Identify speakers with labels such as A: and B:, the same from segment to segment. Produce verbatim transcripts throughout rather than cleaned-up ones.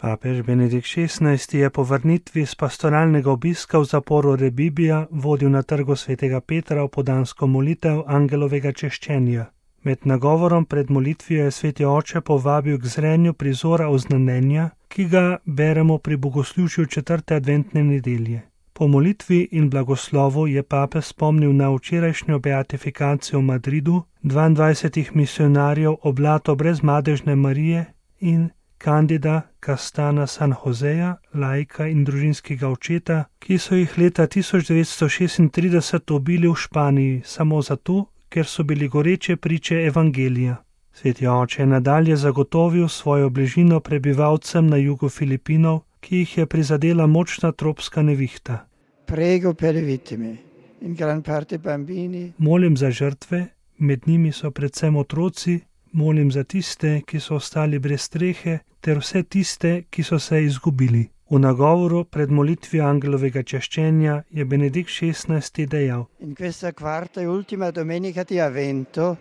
A: Papež Benedikt šestnajsti je po vrnitvi z pastoralnega obiska v zaporu Rebibbia vodil na trgu svetega Petra opoldansko molitev angelovega češčenja. Med nagovorom pred molitvijo je sveti oče povabil k zrenju prizora oznanjenja, ki ga beremo pri bogoslužju četrte adventne nedelje. Po molitvi in blagoslovu je papež spomnil na včerajšnjo beatifikacijo v Madridu dvaindvajsetih misionarjev oblato brezmadežne Marije in Candida Castana San Joseja, laika in družinskega očeta, ki so jih leta tisoč devetsto šestintrideset ubili v Španiji samo zato, ker so bili goreče priče evangelija. Sveti oče je nadalje zagotovil svojo bližino prebivalcem na jugu Filipinov, ki jih je prizadela močna tropska nevihta.
B: Prego per le vittime, in gran parte bambini.
A: Molim za žrtve, med njimi so predvsem otroci, molim za tiste, ki so ostali brez strehe, ter vse tiste, ki so se izgubili. V nagovoru pred molitvijo angelovega češčenja je Benedikt šestnajsti dejal:
B: In questa quarta e ultima domenica di Avvento,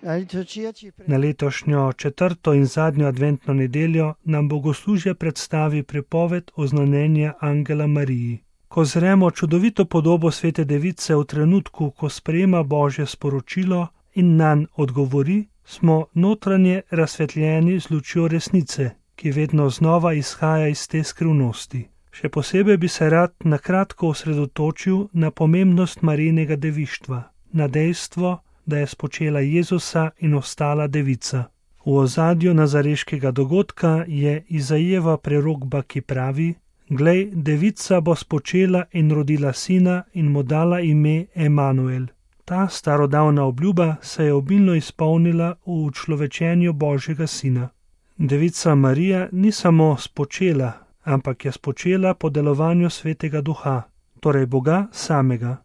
B: la liturgia ci
A: Na letošnjo četrto in zadnjo adventno nedeljo nam bogoslužje predstavi pripoved oznanjenja angela Mariji. Ko zremo čudovito podobo svete device v trenutku, ko sprejema Božje sporočilo in nanj odgovori, smo notranje razsvetljeni z lučjo resnice, ki vedno znova izhaja iz te skrivnosti. Še posebej bi se rad na kratko osredotočil na pomembnost Marijinega devištva, na dejstvo, da je spočela Jezusa in ostala devica. V ozadju nazareškega dogodka je Izajeva prerokba, ki pravi: Glej, devica bo spočela in rodila sina in mu dala ime Emanuel. Ta starodavna obljuba se je obilno izpolnila v učlovečenju Božjega sina. Devica Marija ni samo spočela, ampak je spočela po delovanju svetega duha, torej Boga samega.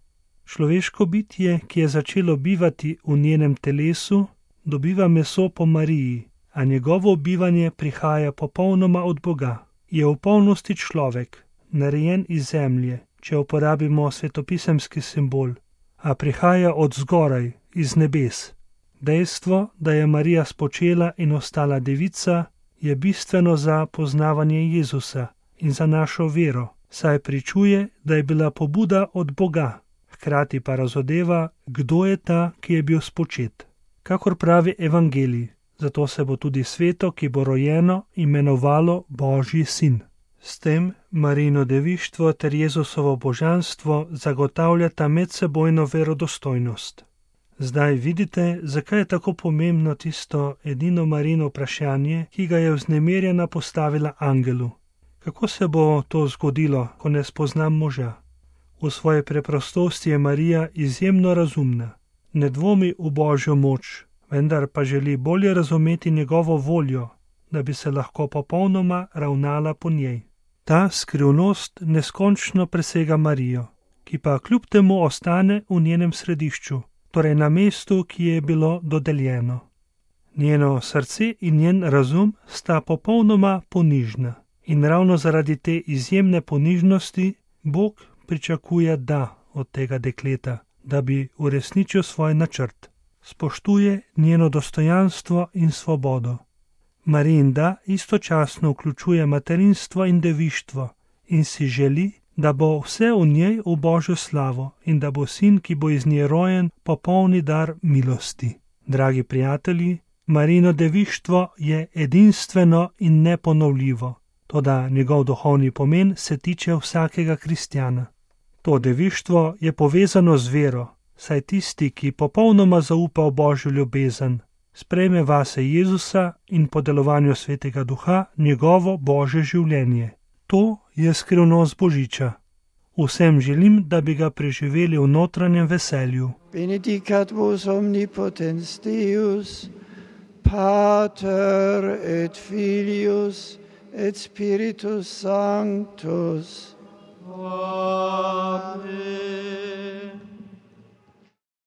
A: Človeško bitje, ki je začelo bivati v njenem telesu, dobiva meso po Mariji, a njegovo bivanje prihaja popolnoma od Boga. Je v polnosti človek, narejen iz zemlje, če uporabimo svetopisemski simbol, a prihaja od zgoraj, iz nebes. Dejstvo, da je Marija spočela in ostala devica, je bistveno za poznavanje Jezusa in za našo vero, saj pričuje, da je bila pobuda od Boga, hkrati pa razodeva, kdo je ta, ki je bil spočet. Kakor pravi evangelij, zato se bo tudi sveto, ki bo rojeno, imenovalo Božji sin. S tem Marijino devištvo ter Jezusovo božanstvo zagotavljata medsebojno verodostojnost. Zdaj vidite, zakaj je tako pomembno tisto edino Marijino vprašanje, ki ga je vznemirjena postavila angelu. Kako se bo to zgodilo, ko ne spoznam moža? V svoji preprostosti je Marija izjemno razumna. Ne dvomi v Božjo moč, vendar pa želi bolje razumeti njegovo voljo, da bi se lahko popolnoma ravnala po njej. Ta skrivnost neskončno presega Marijo, ki pa kljub temu ostane v njenem središču, torej na mestu, ki je bilo dodeljeno. Njeno srce in njen razum sta popolnoma ponižna in ravno zaradi te izjemne ponižnosti Bog pričakuje da od tega dekleta, da bi uresničil svoj načrt. Spoštuje njeno dostojanstvo in svobodo. Marijin da istočasno vključuje materinstvo in devištvo in si želi, da bo vse v njej v Božjo slavo in da bo sin, ki bo iz nje rojen, popolni dar milosti. Dragi prijatelji, Marijino devištvo je edinstveno in neponovljivo, toda njegov duhovni pomen se tiče vsakega kristjana. To devištvo je povezano z vero, saj tisti, ki popolnoma zaupa v Božjo ljubezen, sprejme vase Jezusa in po delovanju svetega duha njegovo Božje življenje. To je skrivnost Božiča. Vsem želim, da bi ga preživeli v notranjem veselju.
B: Benedicat vos omnipotens Deus, Pater et Filius et Spiritus Sanctus. Amen.